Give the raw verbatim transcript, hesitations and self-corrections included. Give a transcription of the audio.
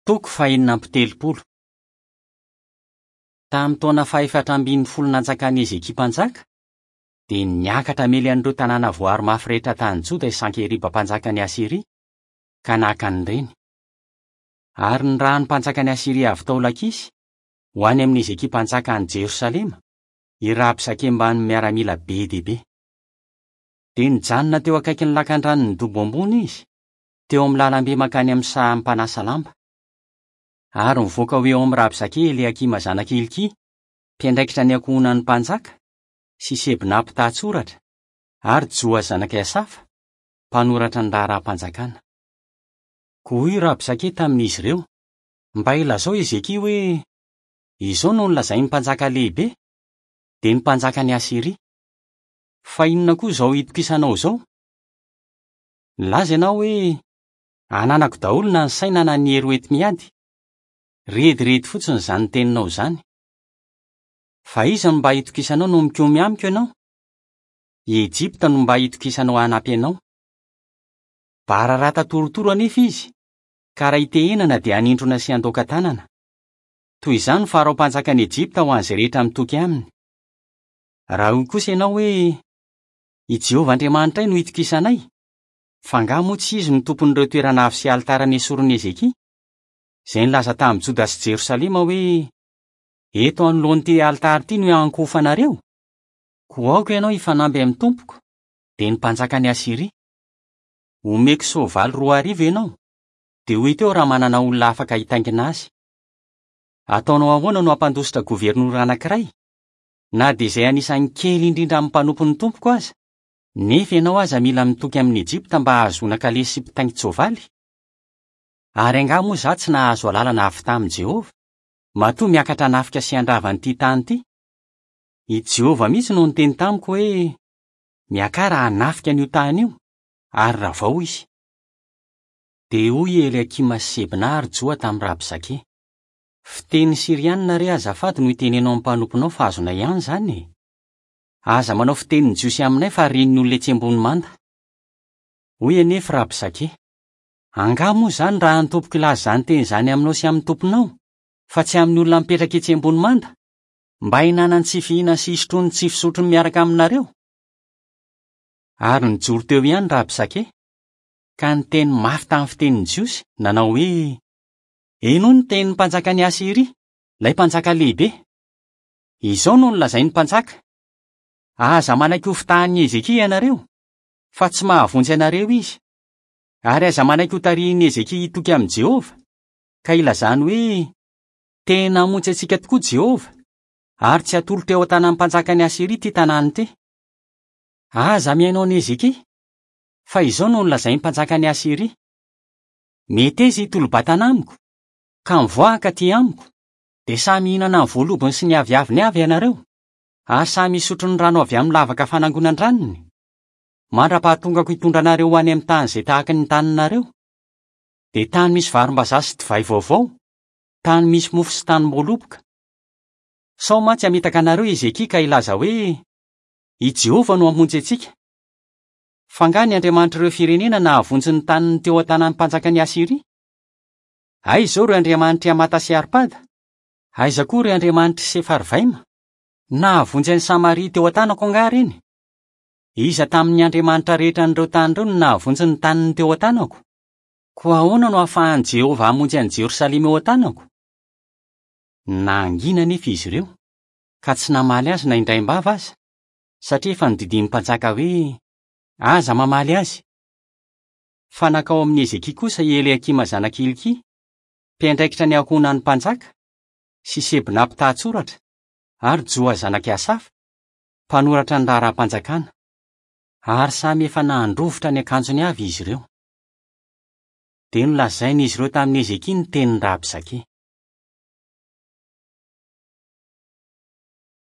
Toko fahenina amby telopolo. Tamin'ny taona fahefatra ambin'ny folo nanjakan'i Hezekia mpanjaka, dia niakatra hamely an'ireo tanàna voaro mafy rehetra tany Joda i Sankeriba mpanjakan'i Asyria, ka naka an'ireny. Ary nirahan'ny mpanjakan'i Asyria avy tao Lakisy ho any amin'i Hezekia mpanjaka any Jerosalema, i Rabsake mbamin'ny miaramila be dia be. Dia nijanona teo akaikin'ny lakandranon'ny dobo ambony izy, teo amin'ny lalambe mankany amin'ny saha mpanasa lamba. Ary nivoaka ho eo amin'ny Rabsake Eliakima zanak'i Hilkia, mpiandraikitra ny ankohonan'ny mpanjaka, sy Sebna mpitantsoratra, ary Joa zanak'i Asafa, mpanoratra ny raharaham-panjakana. Koa hoy Rabsake tamin'izy ireo: "Mba ilazao Hezekia hoe, izao no nolazain'ny mpanjaka lehibe, dia ny mpanjakan'i Asyria. Fa inona koa izao itokisanao izao? Nilaza ianao hoe, ananako daholo na ny saina na ny hery hoenti-miady. Rediredy fotsiny izany teninao izany. Fa iza no mba itokisanao no mikomy amiko ianao? I Ejipta no mba itokisanao hanampy anao. Bararata torotoro anefa izy, ka raha itehenana dia hanindrona sy handoaka tanana. Toy izany ny Farao mpanjakan'i Ejipta ho an'izay rehetra mitoky aminy. Raha hoy kosa ianao hoe, i Jehovah Andriamanitray no itokisanay, fa angaha moa tsy izy no tompon'ireo toerana avo sy alitara nesorin'i Hezekia, izay nilaza tamin'i Joda sy Jerosalema hoe, eto anoloan'ity alitara ity no hiankohofanareo? Koa aoka ianao hifanamby amin'ny tompoko, dia ny mpanjakan'i Asyria. Omeko soavaly roa arivo ianao, dia ho hita eo raha manana olona afaka hitaingina azy. Ataonao ahoana no hampandositra governora anankiray, na dia izay anisan'ny kely indrindra amin'ny mpanompon'ny tompoko aza, nefa ianao aza mila mitoky amin'i Ejipta mba hahazoana kalesy sy mpitaingin-tsoavaly? Ary angaha moa izaho tsy nahazo alalana avy tamin'i Jehovah, matoa miakatra hanafika sy handrava an'ity tany ity? I Jehovah mihitsy no niteny tamiko hoe, miakara hanafika an'io tany io, ary ravao izy. Dia hoy i Eliakima sy Sebna ary Joa tamin'i Rabsake: fiteny sirianina re azafady no itenenao amin'ny mpanomponao fa azonay ihany izany e. Aza manao fitenin'ny Jiosy aminay fa ren'ny olona etsy ambony manda. Hoy anefa Rabsake: angaha moa izany raha ny tompoko hilaza izany teny izany aminao sy amin'ny tomponao, fa tsy amin'ny olona mipetraka etsy ambony manda, mba hihinanany tsy fihinana sy hisotroany tsy fisotrony miaraka aminareo? Ary nijoro teo ihany Rabsake, ka niteny mafy tamin'ny fitenin'ny Jiosy, nanao hoe: henoy ny tenin'ny mpanjakan'i Asyria, ilay mpanjaka lehibe. Izao no nolazain'ny mpanjaka: aza manaiky ho fitahan'i Hezekia ianareo, fa tsy mahavonjy anareo izy. Ary aza manaiky ho tarihin'i Hezekia hitoky amin'i Jehovah, ka ilazany hoe, tena hamonjy antsika tokoa Jehovah, ary tsy hatolotra eo an-tanan'ny mpanjakan'i Asyria ity tanàna ity. Aza mihaino an'i Hezekia, fa izao no nolazain'ny mpanjakan'i Asyria: meteza hitolo-batana amiko, ka mivoaka aty amiko, dia samy hihinana ny voalobony sy ny aviaviny avy ianareo, ary samy hisotro ny rano avy amin'ny lavaka fanangonan-dranony, mandra-pahatongako hitondra anareo ho any amin'ny tany izay tahaka ny taninareo, dia tany misy varimbazaha sy divay vaovao, tany misy mofo sy tanim-boaloboka. Sao mantsy hamitaka anareo Hezekia ka hilaza hoe, i Jehovah no hamonjy antsika. Fa angaha ny andriamanitr'ireo firenena nahavonjy ny taniny teo an-tanan'ny mpanjakan'i Asyria? Aiza izao ireo andriamanitr'i Hamata sy Arpada? Aiza koa ireo andriamanitr'i Sefarvaima? Nahavonjy an'i Samaria teo an-tanako angaha ireny? Iza tamin'ny andriamanitra rehetra an'ireo tany ireo no nahavonjy ny taniny teo an-tanako? Koa ahoana no ahafahan'i Jehovah hamonjy an'i Jerosalema eo an-tanako? Nangina anefa izy ireo, ka tsy namaly azy na indraim-bava aza, satria efa nodidian'ny mpanjaka hoe, aza mamaly azy. Fa nankao amin'i Hezekia kosa i Eliakima zanak'i Hilkia, mpiandraikitra ny ankohonan'ny mpanjaka, sy Sebna mpitantsoratra, ary Joa zanak'i Asafa, mpanoratra ny raharaham-panjakana. Ary samy efa nandrovitra ny akanjony avy izy ireo. Dia nolazain'izy ireo tamin'i Hezekia ny tenin'i Rabsake.